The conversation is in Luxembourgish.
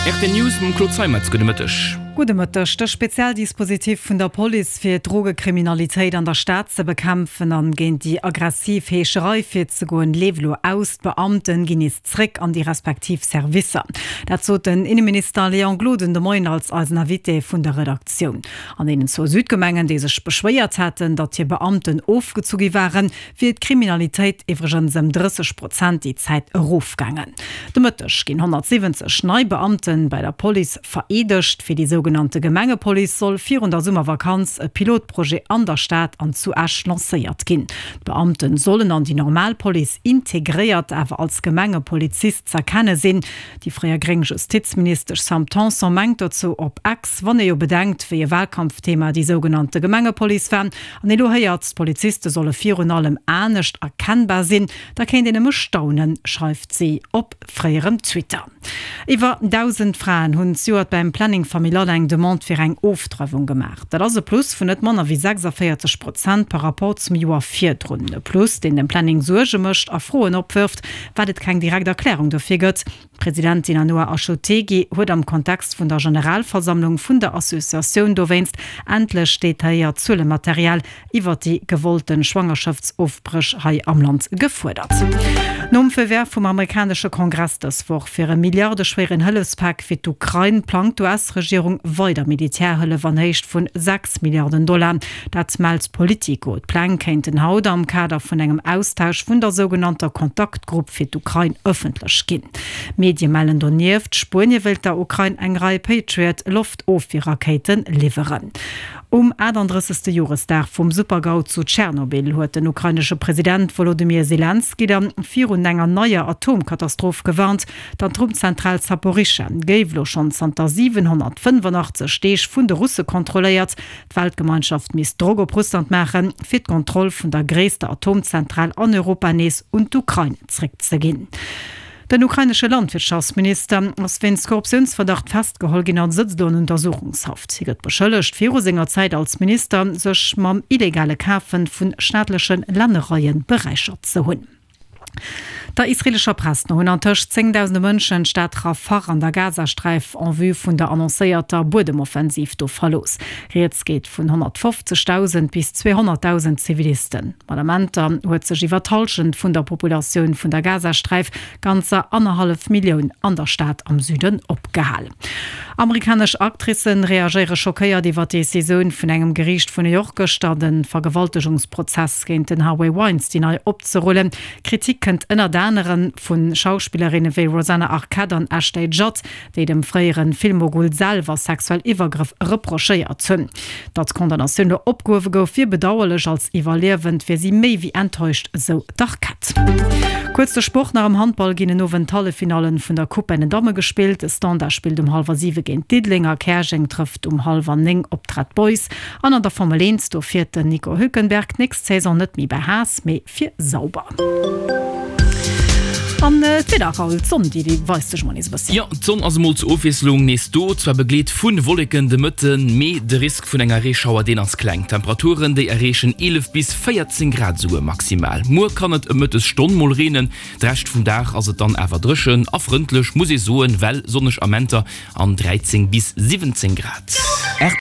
Rtl News mam Claude Zeimetz, Gudde Mëtteg. Gudde Mëtteg. De Spezialdispositif vun der Police fir d'Drogekriminalitéit an der Stad ze bekämpfen an géint déi aggressiv Heescherei virzegoen, leeft elo aus. D'Beamten ginn nees zréck an déi respektiv Servicer. Dat sot den Inneminister Léon Gloden de Moien als eisen Invité vun der Redaktioun. An deenen zwou Südgemengen, déi sech beschwéiert haten, datt hir Beamten ofgezu gi waren, wier d'Kriminalitéit iwwregens ëm 30 Prozent déi Zäit erofgaangen. De Mëtteg ginn 170 nei Beamte bei der Police vereedegt. Fir déi sougenannte Gemengepolice soll virun der Summervakanz e Pilotprojet an der Stad an zu Esch lancéiert ginn. D'Beamte sollen an déi normal Police integréiert, awer als Gemengepolizist z'erkenne sinn. Déi fréier gréng Justizministesch Sam Tanson mengt dozou op Ex, Wann ee jo bedenkt, wéi e Wahlkampfthema déi sougenannte Gemengepolice war, an ee lo héiert, d'Poliziste solle virun allem anescht erkennbar sinn, da kéint een nëmme staunen, schreift si op fréierem Twitter. Iwwer 1.000 Fraen hunn zejoert beim Planning Familial eng Demande fir eng Ofdreiwung gemaach. Dat ass e Plus vun net manner wéi 46 Prozent par Rapport zum Joer virdrun. E Plus, deen dem Planning Suerge mécht a Froen opwërft, wat et keng direkt Erklärung dofir gëtt. D'Presidentin Anoa Achotegui huet am Kontext vun der Generalversammlung vun der Associatioun dowéinst endlech detailléiert Zuelematerial iwwer déi gewollte Schwangerschaftsofbréch hei am Land gefuerdert. Nom Feu vert vum amerikanesche Kongress dës Woch fir e milliardeschwéieren Hëllefspak fir d'Ukrain, plangt d'US-Regierung weider Militärhëllef an Héicht vun 6 Milliarden Dollar. Dat mellt Politico. D'Pläng kéinten haut am Kader vun engem Austausch vun der sougenannter Kontaktgrupp fir d'Ukrain ëffentlech ginn. Medie mellen donieft, Spuenie wéilt der Ukrain eng Rei Patriot-Loftofwierrakéite liwweren. Um 38. Joresdag vum Super-GAU zu Tschernobyl huet den ukrainesche President Wolodymyr Selenskyj da virun enger neier Atomkatastroph gewarnt. D'Atomzentral Saporischschja géif elo schonn zanter 785 Deeg vun de Russe kontrolléiert. D'Weltgemeinschaft misst Drock op Russland maachen, fir d'Kontroll vun der gréisster Atomzentral an Europa nees un d'Ukrain zréckzeginn. Den ukrainesche Landwirtschaftsminister ass wéinst Korruptiounsverdacht festgeholl ginn a sëtzt elo an Untersuchungshaft. Hie gëtt beschëllegt, viru senger Zäit als Minister sech mam illegale Kafe vu staatleche Lännereie beräichert ze hunn. Der israeelescher Press no hunn antëscht zéngdausende Mënschen d'Stad Rafah an der Gazasträif en vue vun der annoncéierter Buedemoffensiv do verlooss. Rieds geet vun 150.000 bis 200.000 Zivilisten. Mat Amenter huet sech iwwer d'Hallschent vun der Populatioun vun der Gazasträif, ganzer annerhallef Millioun, an der Stad am Süden opgehal. Amerikanesch Actricen reagéiere schockéiert iwwer d'Decisioun vun engem Geriicht vun New York gëschter, de Vergewaltegungsprozess géint den Harvey Weinstein nei opzerullen. Kritik kënnt ënnert anerem vu Schauspillerinne wéi Rosanna Arquette an Ashley Judd, déi dem fréiere Filmmogul selwer sexuell Iwwergrëff reprochéiert hunn. Datt d'Condamnatioun elo opgehuewe gouf, wier bedauerlech, als Iwwerliewend wier si méi wéi enttäuscht, esou d'Arquette. Kuerz de Sport nach, Am Handball ginn en Owend d'Halleffinallen vun der Coupe bei den Damme gespillt. De Standard spillt um hallwer 7 géint Diddeleng a Käerjeng trëfft um hallwer 9 op d'Red Boys. An an der Formel 1, do fiert den Nico Hülkenberg d'nächst Saison net méi bei Haas, mee fir Sauber. An d'Wieder, Raoul, d'Sonn déi weist sech emol nees e bësschen. Jo, d'Sonn ass emol zur Ofwiesslung nees do, zwar begleet vu Wolleken de Mëtten, mee de Risk vun enger Reeschauer deen ass kleng. D'Temperaturen déi erreechen 11 bis 14 Grad esouguer maximal. Muer kann et ëm Mëttesstonn mol reenen, de Rescht vum Dag ass et dann awer dréchen a frëndlech, muss ee soen, well sonneg Amenter an 13 bis 17 Grad.